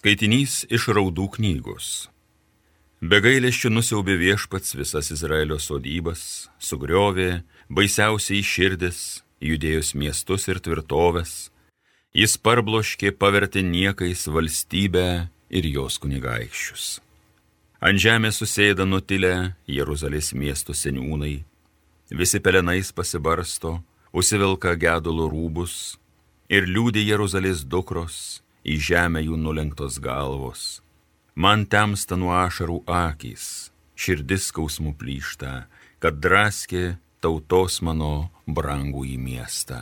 Skaitinys iš Raudų knygos. Be gailesčio nusiaubė Viešpats visas Izraelio sodybas, sugriovė baisiausiai širdis, Judėjos miestus ir tvirtovės, jis parbloškė, pavertė niekais valstybę ir jos kunigaikščius. Ant žemės susėda nutilę Jeruzalės miesto seniūnai, visi pelenais pasibarsto, užsivilka gedulo rūbus ir liūdi Jeruzalės dukros, į žemę jų nulenktos galvos. Man temsta nuo ašarų akys, širdis skausmų plyšta, kad draskė tautos mano brangų į miestą.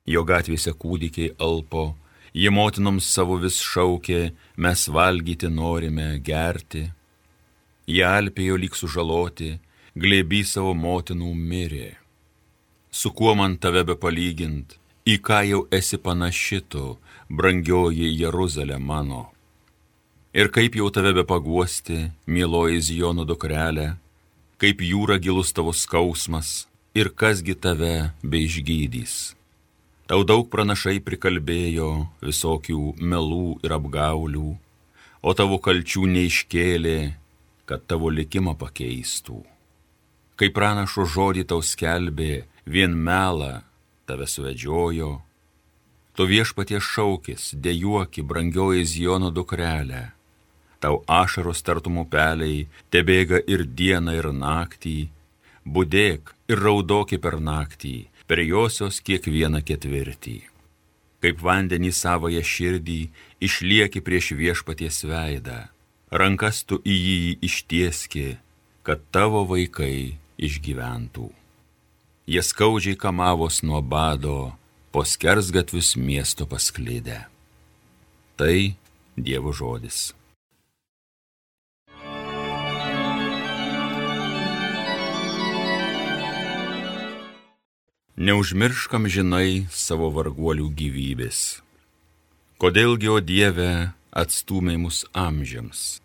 Jo gatvėse kūdikiai alpo, jie motinoms savo vis šaukė, mes valgyti norime, gerti. Jie alpėjo lyg sužaloti, glėby savo motinų mirė. Su kuo man tave be palygint, į ką jau esi panaši tu, brangioji Jeruzalė mano. Ir kaip jau tave be paguosti, mieloji Zijono dukrelė, kaip jūra gilus tavo skausmas, ir kasgi tave be išgydys. Tau daug pranašai prikalbėjo visokių melų ir apgaulių, o tavo kalčių neiškėlė, kad tavo likimą pakeistų. Kai pranašo žodį tau skelbė, vien melą tave suvedžiojo, tu Viešpaties šaukis, dejuoki, brangioji Zijono dukrelė. Tau ašaros tartum upeliai, tebėga ir dieną ir naktį, budėk ir raudoki per naktį, per josios kiekvieną ketvirtį. Kaip vandenį savąją širdį, išlieki prieš Viešpaties veidą, rankas tu į jį ištieski, kad tavo vaikai išgyventų. Jie skaudžiai kamavos nuo bado, po skersgatvius miesto pasklidę. Tai Dievo žodis. Neužmirškam žinai savo varguolių gyvybės. Kodėlgi, o Dieve, atstūmė mus amžiams,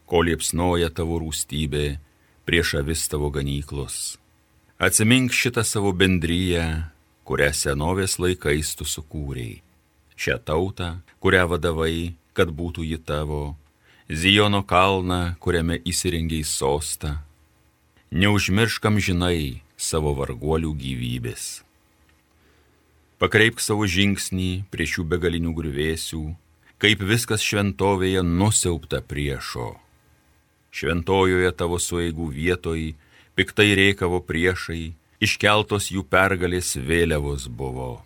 kol liepsnoja tavo rūstybė prieš avis tavo ganyklos. Atsimink šitą savo bendriją, kurią senovės laikais tu sukūrei. Šią tautą, kurią vadavai, kad būtų ji tavo, Zijono kalną, kuriame įsirengiai sostą. Neužmirškam žinai savo varguolių gyvybės. Pakreipk savo žingsnį prie šių begalinių griuvėsių, kaip viskas šventovėje nusiaubta priešo. Šventojoje tavo sueigų vietoj piktai rėkavo priešai, iškeltos jų pergalės vėliavos buvo.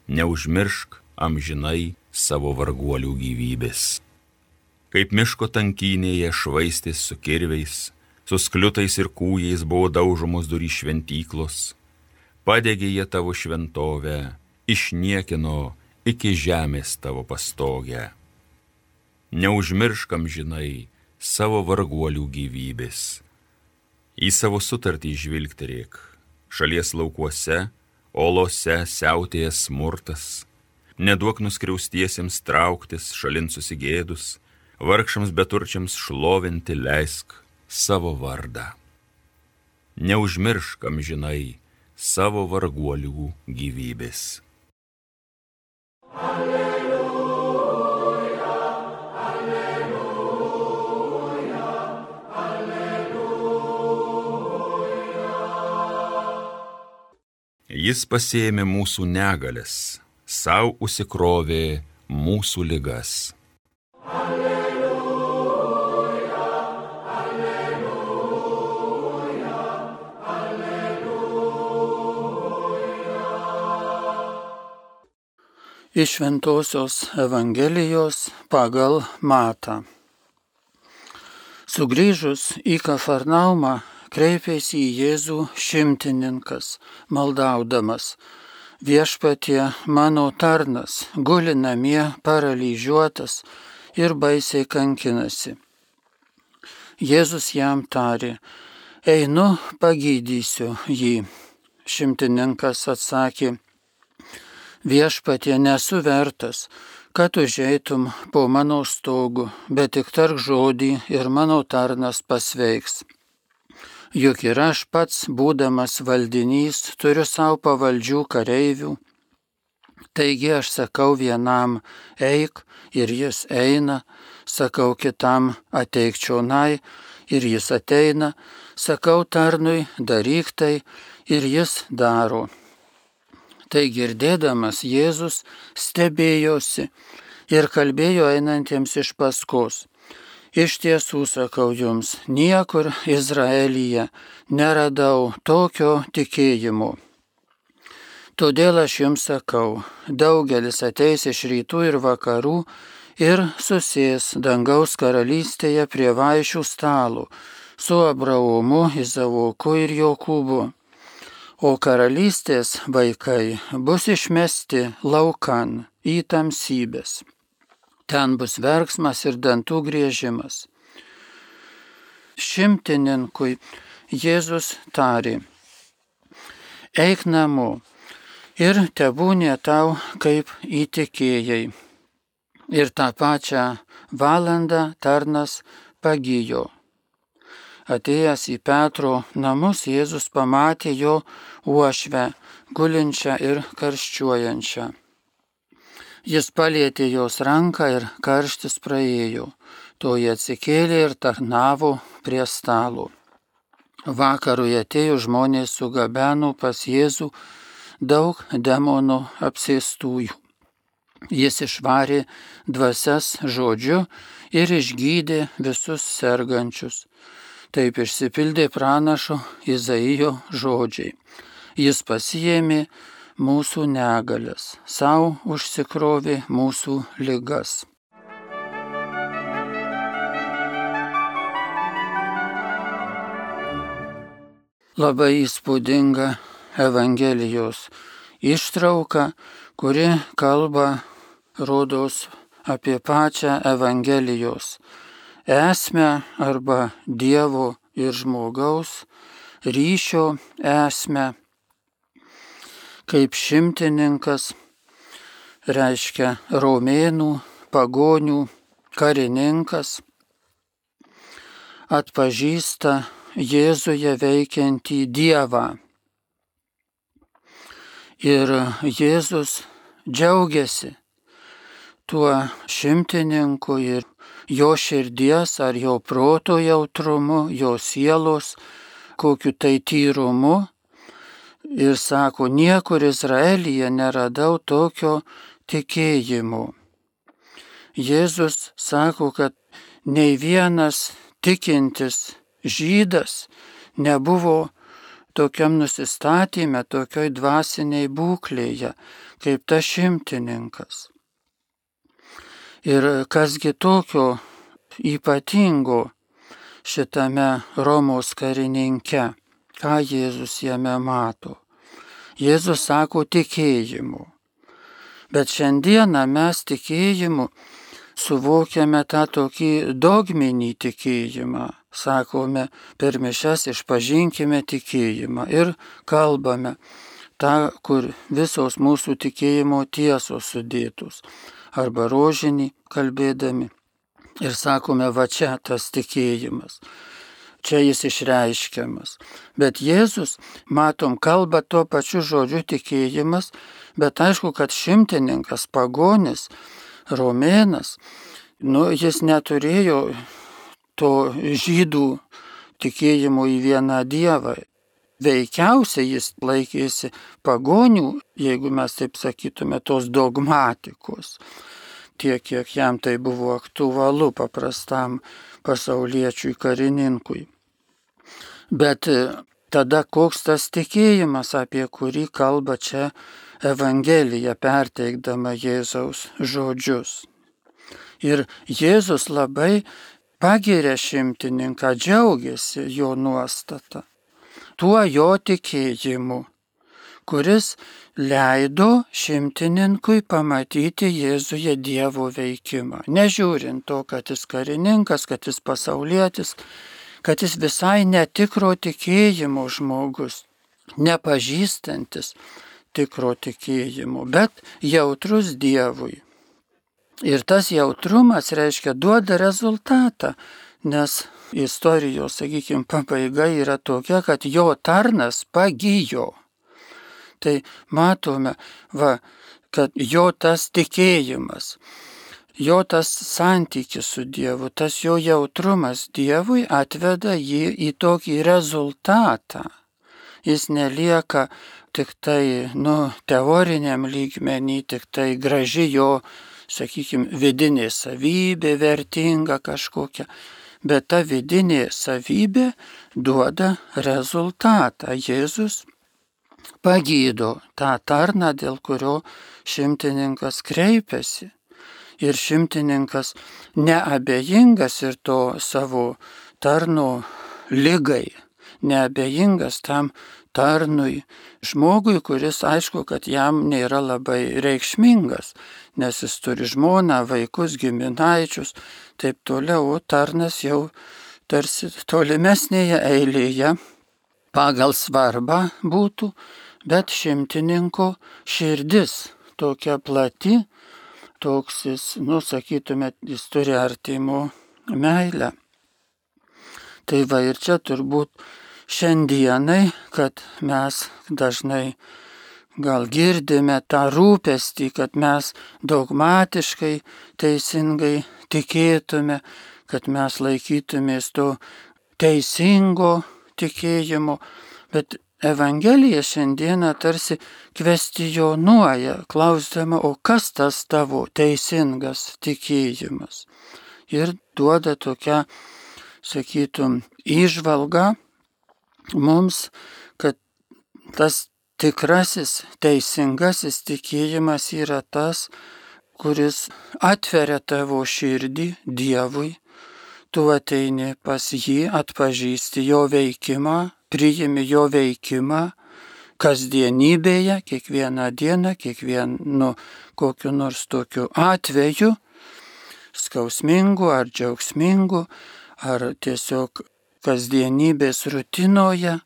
Neužmiršk amžinai savo varguolių gyvybės. Kaip miško tankynėje švaistės su kirviais, su skliutais ir kūjais buvo daužomos durys šventyklos, padegė jie tavo šventovę, išniekino iki žemės tavo pastogę. Neužmirškam žinai savo varguolių gyvybės. Į savo sutartį žvilgterėk, šalies laukuose, olose siautėja smurtas, neduok nuskriaustiesiems trauktis šalin susigėdus, vargšams beturčiams šlovinti leisk savo vardą. Neužmirškam žinai savo varguolių gyvybės. Jis pasiėmė mūsų negales, sau užsikrovė mūsų ligas. Alleluja, alleluja, alleluja. Iš Šventosios Evangelijos pagal Matą. Sugrįžus į Kafarnaumą, kreipėsi į Jėzų šimtininkas, maldaudamas: Viešpatie, mano tarnas guli namie paralyžiuotas ir baisiai kankinasi. Jėzus jam tarė: Einu, pagydysiu jį. Šimtininkas atsakė: Viešpatie, nesu vertas, kad užeitum po mano stogu, bet tik tark žodį ir mano tarnas pasveiks. Juk ir aš pats, būdamas valdinys, turiu savo pavaldžių kareivių, Taigi aš sakau vienam eik ir jis eina, sakau kitam ateik čionai ir jis ateina, sakau tarnui daryk tai ir jis daro. Tai girdėdamas Jėzus stebėjosi ir kalbėjo einantiems iš paskos. Iš tiesų sakau jums, niekur Izraelyje neradau tokio tikėjimo. Todėl aš jums sakau, daugelis ateis iš rytų ir vakarų ir susės dangaus karalystėje prie vaišių stalo su Abraomu, Izaoku ir Jokūbu. O karalystės vaikai bus išmesti laukan į tamsybės. Ten bus verksmas ir dantų griežimas. Šimtininkui Jėzus tarė, eik namo ir tebūnė tau kaip įtikėjai. Ir tą pačią valandą tarnas pagijo. Atėjęs į Petro namus, Jėzus pamatė jo uošvę, gulinčią ir karščiuojančią. Jis palietė jos ranką ir karštis praėjo. Toji atsikėlė ir tarnavo prie stalo. Vakarui atėjo žmonės sugabeno pas Jėzų daug demonų apsėstųjų. Jis išvarė dvasias žodžiu ir išgydė visus sergančius. Taip išsipildė pranašo Izaijo žodžiai. Jis pasiėmė mūsų negalias, savo užsikrovė mūsų ligas. Labai įspūdinga Evangelijos ištrauka, kuri kalba, rodos, apie pačią Evangelijos esmę arba Dievo ir žmogaus ryšio esmę. Kaip šimtininkas, reiškia romėnų, pagonių karininkas, atpažįsta Jėzuje veikiantį Dievą. Ir Jėzus džiaugiasi tuo šimtininku ir jo širdies ar jo proto jautrumu, jo sielos kokiu tai tyrumu. Ir sako, niekur Izraelyje neradau tokio tikėjimo. Jėzus sako, kad nei vienas tikintis žydas nebuvo tokiam nusistatyme, tokioj dvasiniai būklėje, kaip tas šimtininkas. Ir kasgi tokio ypatingo šitame Romos karininke, ką Jėzus jame mato. Jėzus sako tikėjimu. Bet šiandieną mes tikėjimu suvokiame tą tokį dogminį tikėjimą. Sakome, per mišias išpažinkime tikėjimą ir kalbame tą, kur visos mūsų tikėjimo tiesos sudėtos. Arba rožinį kalbėdami ir sakome, va čia tas tikėjimas. Čia jis išreiškiamas. Bet Jėzus, matom, kalba tuo pačiu žodžiu tikėjimas, bet aišku, kad šimtininkas, pagonis, romėnas, jis neturėjo to žydų tikėjimo į vieną Dievą. Veikiausiai jis laikėsi pagonių, jeigu mes taip sakytume, tos dogmatikos. Tiek, kiek jam tai buvo aktualu paprastam pasauliečiui karininkui. Bet tada koks tas tikėjimas, apie kurį kalba čia Evangelija, perteikdama Jėzaus žodžius. Ir Jėzus labai pagiria šimtininką, džiaugiasi jo nuostata, tuo jo tikėjimu, kuris leido šimtininkui pamatyti Jėzuje Dievo veikimą. Nežiūrint to, kad jis karininkas, kad jis pasaulietis, kad jis visai netikro tikėjimo žmogus, nepažįstantis tikro tikėjimo, bet jautrus Dievui. Ir tas jautrumas, reiškia, duoda rezultatą, nes istorijos, sakykime, pabaiga yra tokia, kad jo tarnas pagijo. Tai matome, kad jo tas tikėjimas, jo tas santykis su Dievu, tas jo jautrumas Dievui atveda jį į tokį rezultatą. Jis nelieka tik tai, teoriniam lygmenį, tik tai graži jo, sakykime, vidinė savybė, vertinga kažkokia, bet ta vidinė savybė duoda rezultatą. Jėzus pagydo tą tarną, dėl kurio šimtininkas kreipiasi. Ir šimtininkas neabejingas ir to savo tarno ligai, neabejingas tam tarnui, žmogui, kuris aišku, kad jam nėra labai reikšmingas, nes jis turi žmoną, vaikus, giminaičius, taip toliau, o tarnas jau tarsi tolimesnėje eilėje pagal svarbą būtų, bet šimtininko širdis tokia plati, toks jis, sakytume, jis turi artimo meilę. Tai va ir čia turbūt šiandienai, kad mes dažnai gal girdime tą rūpestį, kad mes dogmatiškai, teisingai tikėtume, kad mes laikytumės to teisingo tikėjimo, bet Evangelija šiandieną tarsi kvestionuoja, klausdama, o kas tas tavo teisingas tikėjimas? Ir duoda tokią, sakytum, įžvalgą mums, kad tas tikrasis, teisingasis tikėjimas yra tas, kuris atveria tavo širdį Dievui, tu ateini pas jį, atpažįsti jo veikimą, priimi jo veikimą kasdienybėje, kiekvieną dieną, kiekvienu kokiu nors tokiu atveju, skausmingu ar džiaugsmingu, ar tiesiog kasdienybės rutinoje,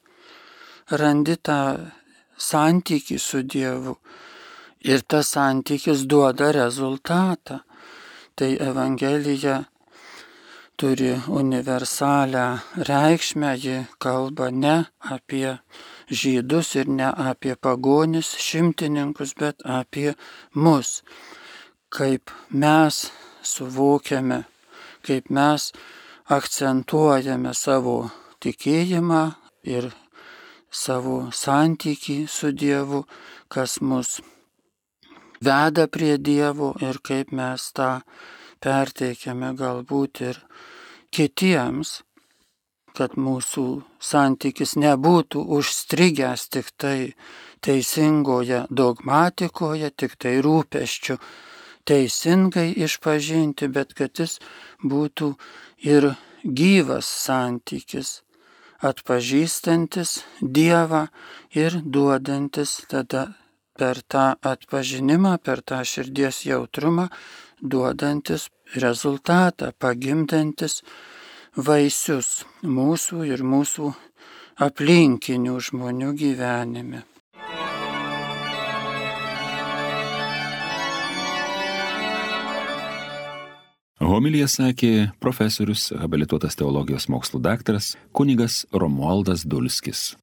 randi tą santykį su Dievu ir tas santykis duoda rezultatą. Tai Evangelija turi universalią reikšmę, ji kalba ne apie žydus ir ne apie pagonis, šimtininkus, bet apie mus, kaip mes suvokiame, kaip mes akcentuojame savo tikėjimą ir savo santykį su Dievu, kas mus veda prie Dievo ir kaip mes tą perteikiame galbūt ir kitiems, kad mūsų santykis nebūtų užstrigęs tik tai teisingoje dogmatikoje, tik tai rūpesčių teisingai išpažinti, bet kad jis būtų ir gyvas santykis, atpažįstantis Dievą ir duodantis tada per tą atpažinimą, per tą širdies jautrumą, duodantis rezultatą, pagimdantis vaisius mūsų ir mūsų aplinkinių žmonių gyvenime. Homiliją sakė profesorius, habilituotas teologijos mokslų daktaras kunigas Romualdas Dulskis.